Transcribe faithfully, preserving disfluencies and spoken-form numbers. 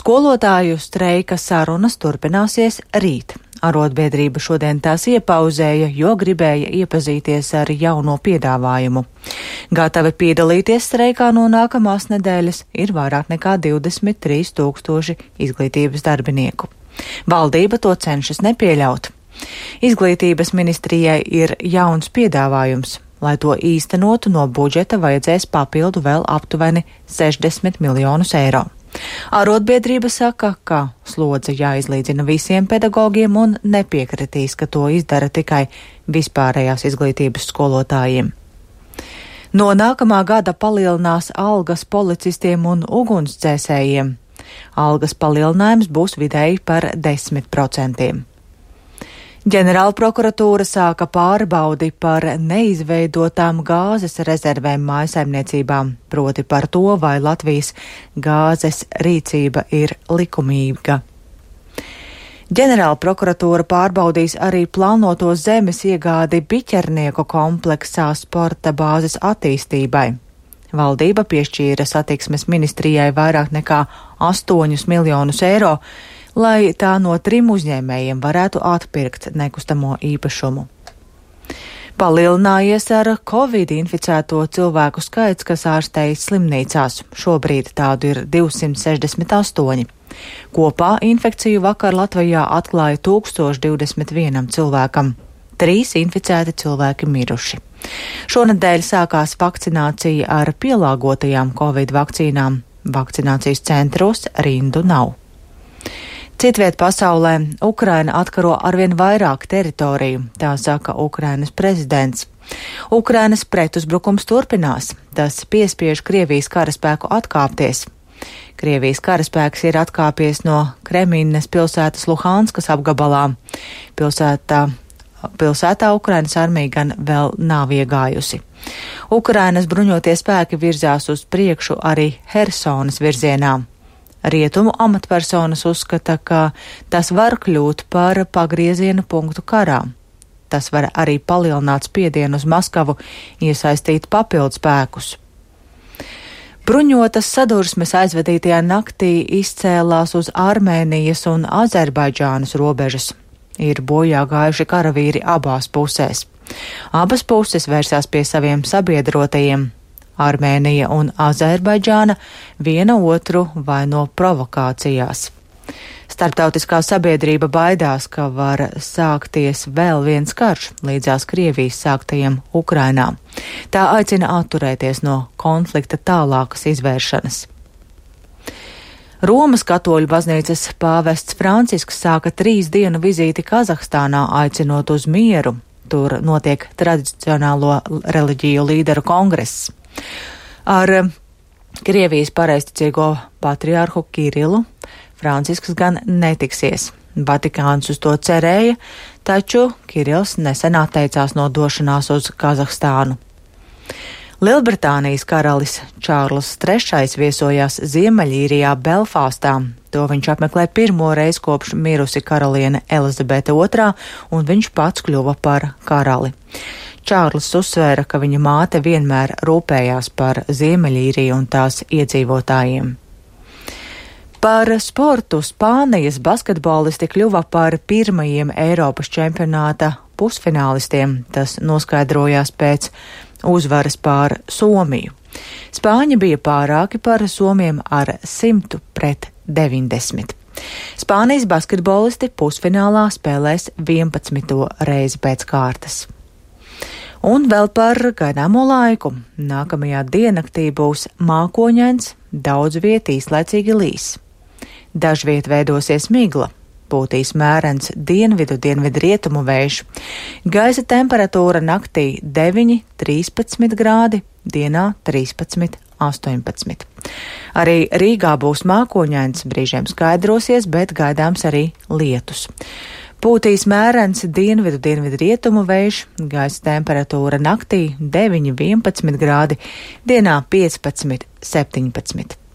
Skolotāju streika sarunas turpināsies rīt. Arotbiedrība šodien tās iepauzēja, jo gribēja iepazīties ar jauno piedāvājumu. Gatavi piedalīties streikā no nākamās nedēļas ir vairāk nekā divdesmit trīs tūkstoši izglītības darbinieku. Valdība to cenšas nepieļaut. Izglītības ministrijai ir jauns piedāvājums. Lai to īstenotu, no budžeta vajadzēs papildu vēl aptuveni sešdesmit miljonus eiro. Arotbiedrība saka, ka slodze jāizlīdzina visiem pedagogiem un nepiekritīs, ka to izdara tikai vispārējās izglītības skolotājiem. No nākamā gada palielinās algas policistiem un ugunsdzēsējiem. Algas palielinājums būs vidēji par desmit procentiem. Ģenerāla prokuratūra sāka pārbaudi par neizveidotām gāzes rezervēm mājasaimniecībām, proti par to, vai Latvijas gāzes rīcība ir likumīga. Ģenerāla prokuratūra pārbaudīs arī plānoto zemes iegādi Biķernieku kompleksā sporta bāzes attīstībai. Valdība piešķīra satiksmes ministrijai vairāk nekā astoņus miljonus eiro, lai tā no trim uzņēmējiem varētu atpirkt nekustamo īpašumu. Palielinājies ar Covid inficēto cilvēku skaits, kas ārstējas slimnīcās. Šobrīd tādu ir divsimt sešdesmit astoņi. Kopā infekciju vakar Latvijā atklāja tūkstoš divdesmit vienam cilvēkam. Trīs inficēti cilvēki miruši. Šonedēļ sākās vakcinācija ar pielāgotajām Covid vakcīnām. Vakcinācijas centros rindu nav. Citviet pasaulē Ukraina atkaro arvien vairāk teritoriju, tā saka Ukrainas prezidents. Ukrainas pretuzbrukums turpinās, tas piespiež Krievijas karaspēku atkāpties. Krievijas karaspēks ir atkāpies no Kremīnas pilsētas Luhanskas apgabalā. Pilsētā, pilsētā Ukrainas armija gan vēl nav iegājusi. Ukrainas bruņotie spēki virzās uz priekšu arī Hersonas virzienā. Rietumu amatpersonas uzskata, ka tas var kļūt par pagrieziena punktu karā. Tas var arī palielināt spiedienu uz Maskavu, iesaistīt papildu spēkus. Bruņotas sadursmes aizvadītajā naktī izcēlās uz Armēnijas un Azerbaidžānas robežas. Ir bojā gājuši karavīri abās pusēs. Abas puses vērsās pie saviem sabiedrotajiem. Armēnija un Azerbaidžāna viena otru vaino provokācijās. Starptautiskā sabiedrība baidās, ka var sākties vēl viens karš līdzās Krievijas sāktajiem Ukrainā. Tā aicina atturēties no konflikta tālākas izvēršanas. Romas katoļu baznīcas pāvests Francisks sāka trīs dienu vizīti Kazahstānā, aicinot uz mieru. Tur notiek tradicionālo reliģiju līderu kongress. Ar Krievijas pareizticīgo patriārhu Kirilu Francisks gan netiksies. Vatikāns uz to cerēja, taču Kirils nesen atteicās no došanās uz Kazahstānu. Lielbritānijas karalis Čārls trešais viesojās Ziemeļīrijā Belfāstā. To viņš apmeklē pirmo reizi kopš mirusi karaliene Elizabete otrā, un viņš pats kļuva par karali. Čārlis uzsvēra, ka viņa māte vienmēr rūpējās par Ziemeļīriju un tās iedzīvotājiem. Par sportu Spānijas basketbolisti kļuva par pirmajiem Eiropas čempionāta pusfinālistiem. Tas noskaidrojās pēc uzvaras pār Somiju. Spāņi bija pārāki par somiem ar simtu pret deviņdesmit. Spānijas basketbolisti pusfinālā spēlēs vienpadsmito reizi pēc kārtas. Un vēl par gaidāmo laiku. Nākamajā diennaktī būs mākoņains, daudz viet īslaicīgi līs. Dažviet veidosies migla, pūtīs mērens dienvidu dienvidu rietumu vējš. Gaisa temperatūra naktī deviņi trīspadsmit grādi, dienā trīspadsmit astoņpadsmit. Arī Rīgā būs mākoņains, brīžiem skaidrosies, bet gaidāms arī lietus. Pūtīs mērens dienvidu dienvidu rietumu vējš, gaisa temperatūra naktī deviņi vienpadsmit grādi, dienā piecpadsmit septiņpadsmit.